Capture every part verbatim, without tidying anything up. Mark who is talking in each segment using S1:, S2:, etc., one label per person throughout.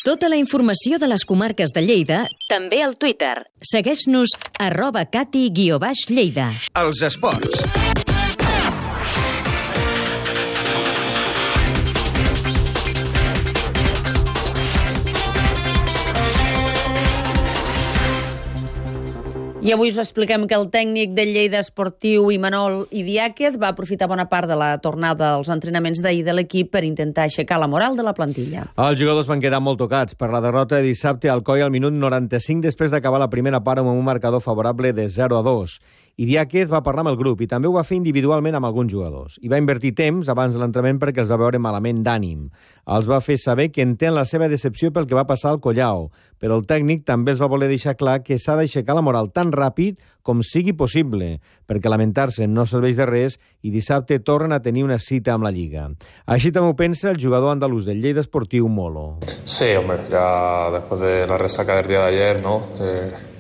S1: Tota la informació de les comarques de Lleida, també al Twitter. Segueix-nos arroba cati guió baix Lleida.
S2: Els esports.
S3: I avui us expliquem que el tècnic del Lleida Esportiu, Imanol Idiáquez, va aprofitar bona part de la tornada als entrenaments d'ahir de l'equip per intentar aixecar la moral de la plantilla.
S4: Els jugadors van quedar molt tocats per la derrota de dissabte al Coi al minut noranta-cinc després d'acabar la primera part amb un marcador favorable de zero a dos. Idiáquez va parlar amb el grup i també ho va fer individualment amb alguns jugadors. I va invertir temps abans de l'entrenament perquè els va veure malament d'ànim. Els va fer saber que entén la seva decepció pel que va passar al Collao, però el tècnic també els va voler deixar clar que s'ha d'aixecar la moral tan ràpid com sigui possible, perquè lamentar-se no serveix de res i dissabte tornen a tenir una cita amb la Lliga. Així també ho pensa el jugador andalús del Lleida Esportiu, Molo.
S5: Sí, hombre, ya después de la resaca del día de ayer, ¿no? Eh...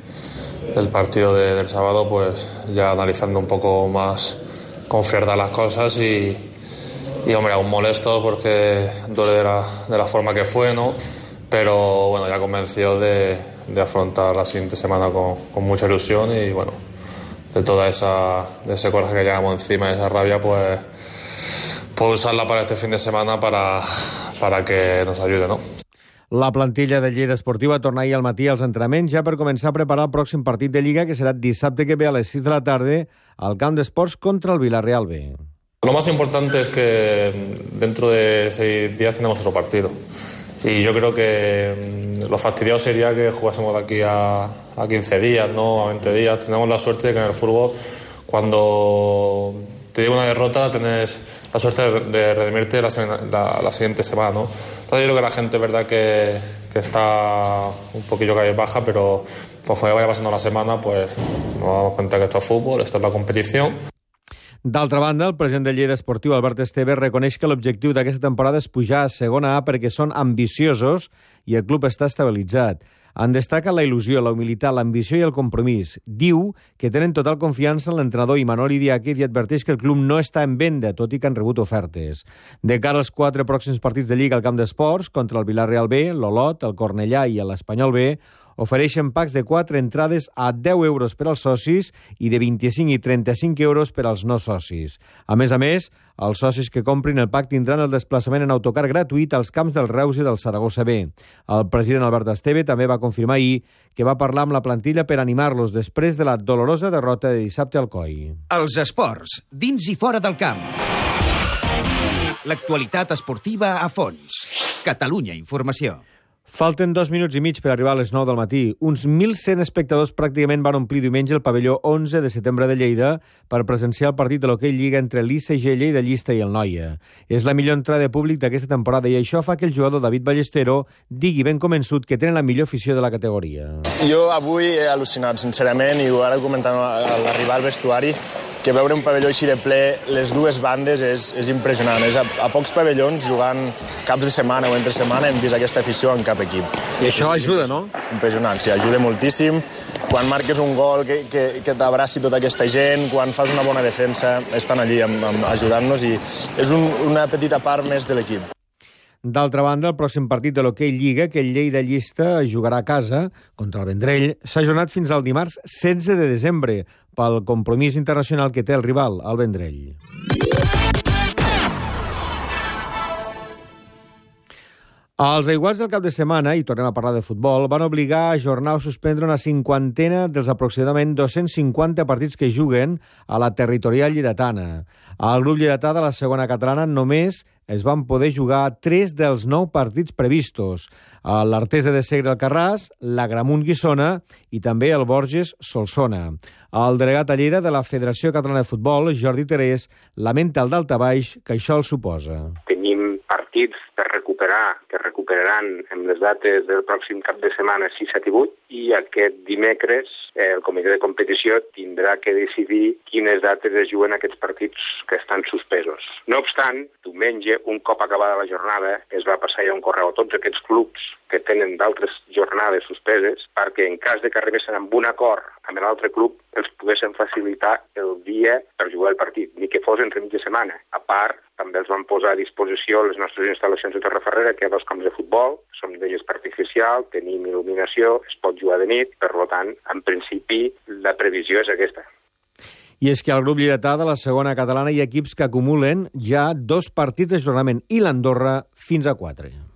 S5: el partido de, del sábado, pues ya analizando un poco más con frialdad las cosas y, y hombre, aún molesto porque duele de la, de la forma que fue, ¿no? Pero bueno, ya convencido de, de afrontar la siguiente semana con, con mucha ilusión y bueno, de toda esa, de ese coraje que llevamos encima, de esa rabia, pues, pues usarla para este fin de semana para, para que nos ayude, ¿no?
S4: La plantilla de Lleida Esportiu va tornar ahir al matí als entrenaments ja per començar a preparar el pròxim partit de Lliga, que serà dissabte que ve a les sis de la tarda al camp d'esports contra el Villarreal B.
S5: Lo más importante es que dentro de seis días tenemos otro partido. Y yo creo que lo fastidioso sería que jugásemos de aquí a, a quince días, ¿no? A veinte días. Tenemos la suerte de que en el fútbol, cuando te llega una derrota, tenés la suerte de redimirte la, la, la siguiente semana, ¿no? Entonces yo creo que la gente es verdad que, que está un poquillo cabizbaja, pero conforme vaya pasando la semana, pues nos damos cuenta que esto es fútbol, esto es la competición.
S4: D'altra banda, el president del Lleida Esportiu, Albert Esteve, reconeix que l'objectiu d'aquesta temporada és pujar a segona A perquè són ambiciosos i el club està estabilitzat. En destaca la il·lusió, la humilitat, l'ambició i el compromís. Diu que tenen total confiança en l'entrenador Imanol Idiáquez i adverteix que el club no està en venda, tot i que han rebut ofertes. De cara als quatre pròxims partits de Lliga al camp d'esports, contra el Villarreal B, l'Olot, el Cornellà i l'Espanyol B, ofereixen packs de quatre entrades a deu euros per als socis i de vint-i-cinc i trenta-cinc euros per als no socis. A més a més, els socis que comprin el pack tindran el desplaçament en autocar gratuït als camps del Reus i del Saragossa B. El president Albert Esteve també va confirmar ahir que va parlar amb la plantilla per animar-los després de la dolorosa derrota de dissabte al Coi.
S2: Els esports, dins i fora del camp. L'actualitat esportiva a fons. Catalunya Informació.
S4: Falten dos minuts i mig per arribar a les nou del matí. Uns mil cent espectadors pràcticament van omplir diumenge el pavelló onze de setembre de Lleida per presenciar el partit de l'hoquei Lliga entre l'I C G Lleida Llista i el Noia. És la millor entrada de públic d'aquesta temporada i això fa que el jugador David Ballestero digui ben convençut que tenen la millor afició de la categoria.
S6: Jo avui he al·lucinat, sincerament, i ho ara comentant a l'arribar al vestuari, que veure un pavelló així de ple, les dues bandes, és, és impressionant. És a, a pocs pavellons, jugant caps de setmana o entre setmana, hem vist aquesta afició en cap equip.
S7: I això ajuda, no?
S6: Impressionant, sí, ajuda moltíssim. Quan marques un gol, que, que, que t'abraci tota aquesta gent, quan fas una bona defensa, estan allí amb, amb ajudant-nos i és un, una petita part més de l'equip.
S4: D'altra banda, el pròxim partit de l'hoquei Lliga, que el Lleida Llista jugarà a casa contra el Vendrell, s'ha ajornat fins al dimarts setze de desembre pel compromís internacional que té el rival, el Vendrell. Els aiguats del cap de setmana, i tornem a parlar de futbol, van obligar a ajornar o suspendre una cinquantena dels aproximadament dos-cents cinquanta partits que juguen a la territorial lleidatana. Al grup lleidatà de la segona catalana només es van poder jugar tres dels nou partits previstos. L'Artesa de Segre Alcarràs, l'Agramunt Guissona i també el Borges Solsona. El delegat a Lleida de la Federació Catalana de Futbol, Jordi Terés, lamenta el daltabaix que això el suposa.
S8: Tenim partits per recuperar, que recuperaran amb les dates del pròxim cap de setmana sis, set i vuit, i aquest dimecres eh, el comitè de competició tindrà que decidir quines dates es juguen aquests partits que estan suspesos. No obstant, diumenge, un cop acabada la jornada, es va passar ja un correu a tots aquests clubs que tenen d'altres jornades suspeses, perquè en cas de que arribessin amb un acord amb l'altre club, els poguessin facilitar el dia per jugar el partit, ni que fos entre mitja setmana. A part, també els van posar a disposició les nostres instal·lacions de Torreferrera, que hi ha dos camps de futbol, som de gespa artificial, tenim il·luminació, es pot jugar de nit, per tant, en principi, la previsió és aquesta.
S4: I és que al grup lleidatà de la segona catalana hi ha equips que acumulen ja dos partits d'ajornament i l'Andorra fins a quatre.